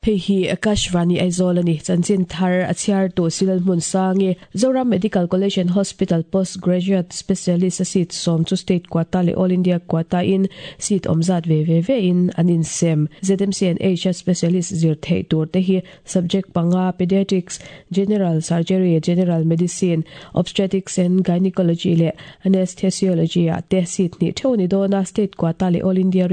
Hei hi Akashvani Aizawl a ni. Chanchin thar a chhiartu Silal Hmunsangi, Zoram Medical College and Hospital Post Graduate Specialist a seat sawm chu State Quota leh All India Quota in seat awm zat ve ve ve in an insem. ZMC and H a Specialist zir theih tur te hi Subject panga Pediatrics, General Surgery, General Medicine, Obstetrics and Gynecology leh Anesthesiology ah te seat hnih theuh a ni dawn a, State Quota leh All India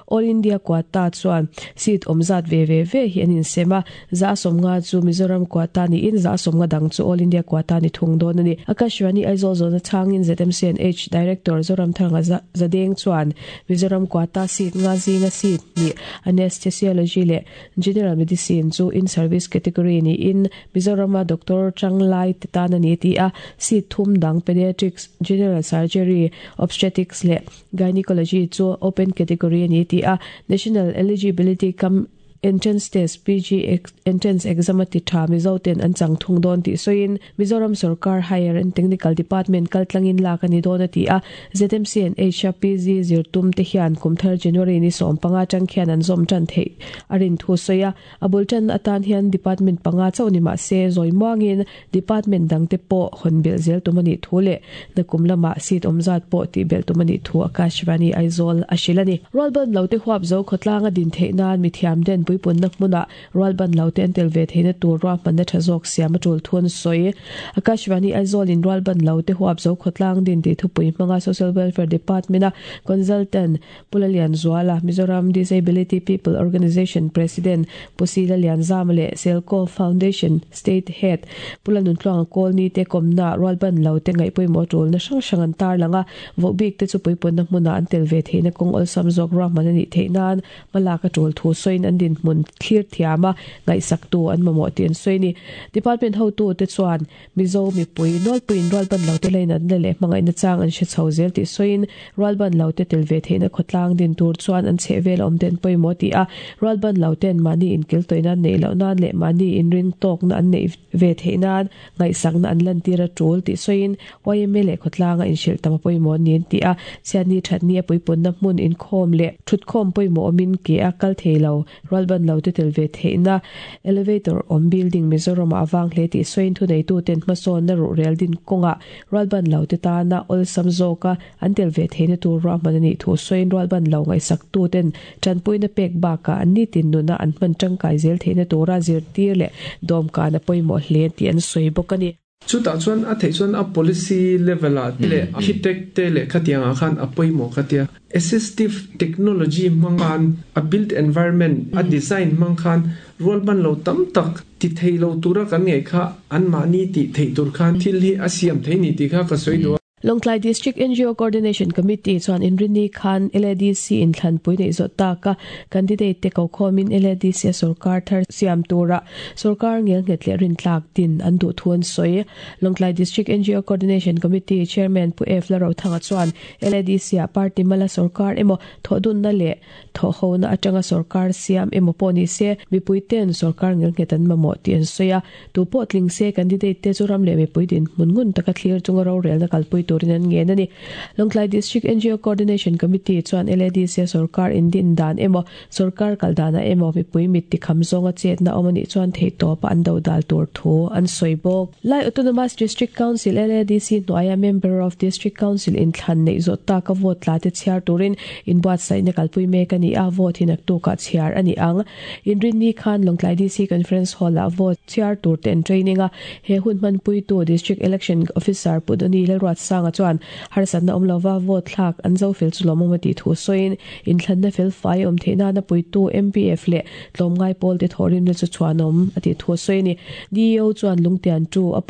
All India Quota chuan seat awm zat ve ve ve hi an insem a, za 50 chu Mizoram Quota niin za 50 dang chu All India Quota ni thung dawn a ni. Akashvani Aizawl zawhna chhangin ZMCNH Director Zoramthanga Zadeng chuan Mizoram Quota seat nga zinga seat hnih Anesthesiology leh General Medicine chu in-service category niin Mizorama doctor tanglai te tan a ni tih a, seat thum dang Pediatrics, General Surgery, Obstetrics leh Gynecology chu open category a ni tih a, National Eligibility cum Entrance Test, PG Entrance Exam a ti tha Mizo ten an chang thung dawn tih sawiin Mizoram Sorkar Higher and Technical Department kaltlangin lak a ni dawn a ti a, ZMC and H-a PG zirtum te hian kumthar January ni 15 atang khian an zawm tan theih a rin thu sawi a. A bul tan atan hian department panga chauh ni mah se zawi muangin department dangte pawh hawn belh zel tum a nih thu leh nakum lamah seat awm zat pawh tih belh tum a nih thu Akashvani Aizawl a hrilh a ni. Rualban lote huap zo khawtlanga din theih nan mithiam den puipunna hmunah rualban lote an tel ve theihna tur ruahmanna tha zawk siam a tul thu an sawi. Akashvani Aizawl-in rualban lote huap zo khawtlang din tih thupui hmanga Social Welfare Department-a consultant Pu Lalianzuala, Mizoram Disability People Organisation President Pu Si Lalianzama leh Selco Foundation State Head Pu Lanuntluanga Kawlni te kawmna rualban lo te ngaihpawimawh tulna hrang hrang an tarlang a, vohbik te chu puipunna hmunah an tel ve theihna kawng awlsam zawk ruahman a nih theih nan hmalak a tul thu sawiin an dinhmun thlir thiam a, ngaihsaktu an mamawh tih an sawi a ni. Department hotute chuan Mizo mipui nawlpuiin rualban lote lainatna leh hmangaihna chang an hre chho zel tih sawiin rualban lote tel ve theihna khawtlang din tur chuan an chhehvel awm ten pawimawh tih a, rualban loten mahni inkiltawih nan neih loh nan leh mahni inring tawkna an neih ve theih nan ngaihsakna an lantir a tul tih sawiin yma leh khawtlanga inhrilh tam a pawimawh niin tih a, chhiatni thatni a puipunna hmun inkhawm leh thutkhawm pawimawh awmin ke a kal thei lo. Rualban lo te tel ve theihna Elevator awm building Mizoramah a vang hle tih sawiin thuneituten hmasawnna ruhrel din kawngah rualban lo te tana awlsam zawka an tel ve theihna tur ruahman a nih thu sawiin rualban lo ngaihsaktuten tanpuina pek bakah an nitin nuna an hman tangkai zel theihna tura zirtir leh dawmkan a pawimawh hle tih an sawi bawk a ni. Chutah chuan a theih chuan a policy level ah te leh architect te leh khatiang ah khan a pawimawh ka tia. Assistive technology hmang khan a built environment a design hmang khan rualban lo tam tak ti thei lo tura kan ngaih kha anmahni tih theih tur khan thil hi a siam thei ni tih kha ka sawi duh a. Lawngtlai District ngo Coordination Committee chuan Inrinni khan LADC inthlanpui neih zawh taka candidate te kokhawmin LADC a sorkar thar siam tura sorkar ngelnghet leh rintlak din an duh thu an sawi. Lawngtlai District ngo Coordination Committee Chairman Pu F Larothanga chuan LADC ah party mala sorkar emaw thawhdunna leh Thawhhona atanga sorkar siam emaw pawh ni se, mipuiten sorkar ngelnghet an mamawh tih an sawi a. Tu pawh tling se, candidate te chu ram leh mipui dinhmun ngun taka thlir chunga rorelna kalpui turin an ngen a ni. Lawngtlai District ngo Coordination Committee chuan LADC a sorkar indin dan emaw, sorkar kal danah emaw mipui mit tikham zawnga chetna awm a nih chuan theihtawpa an dodal tur thu an sawi bawk. Lai Autonomous District Council, LADC, hnuaia Member of District Council inthlan neih zawh taka vote tla te chhiar turin inbuatsaihna kalpui mek a ni a, vote hi naktukah chhiar a ni ang. Inrinni khan Lawngtlai DC Conference Hall-ah vote chhiar tur te an training a, he hun hmanpuitu District Election Officer Pu Doni Lalruatsanga chuan harsatna awm lova vote thlak an zo fel chu lawmawm a tih thu sawiin inthlanna fel fai awm theih nana puitu MPF leh Tlawmngai pawl te thawhrimna chu chhuanawm a tih thu a sawi a ni. DEO chuan Lungtian tu a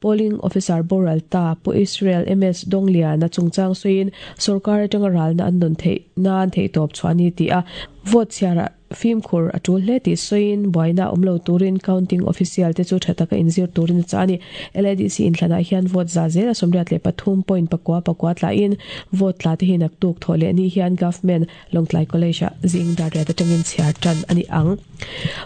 Polling Officer boral ta Pu Israel MS Dongliana chungchang sawiin sorkar atanga ralna an nawn theih nan theihtawp chhuah a ni tih a vote chhiarah fimkhur a tul hle tih sawiin buaina awm lo turin counting official te chu tha taka inzir turin a chah a ni. LADC inthlanah hian vote za zel a 83.9 tlahin vote tla te hi naktuk thawh leh ni hian Government Lawngtlai College ah zing dar riat atangin chhiar tan a ni ang.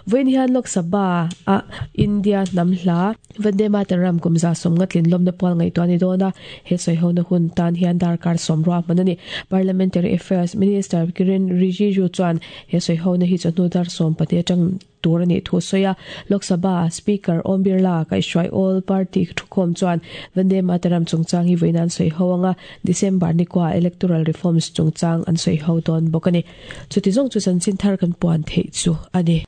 Vawiin hian Lok Sabha a India hnam hla Vande Mataram kum 150 tlinlawmna pual ngaihtuah a ni dawn a, he sawihona hun tan hian darkar sawm ruahman a ni. Parliamentary Affairs Minister Kiren Rijiju chuan he sawihona hi hi chawhnu dar 12 atang tur a nih thu sawi a. Lok Sabha Speaker Om Birla kaihhruai All Party thukhawm chuan Vande Mataram chungchang hi vawiin an sawi ho anga December ni kua Electoral Reforms chungchang an sawi ho dawn bawk a ni. Chuti zawng chu chanchin thar kan puan theih chu a ni.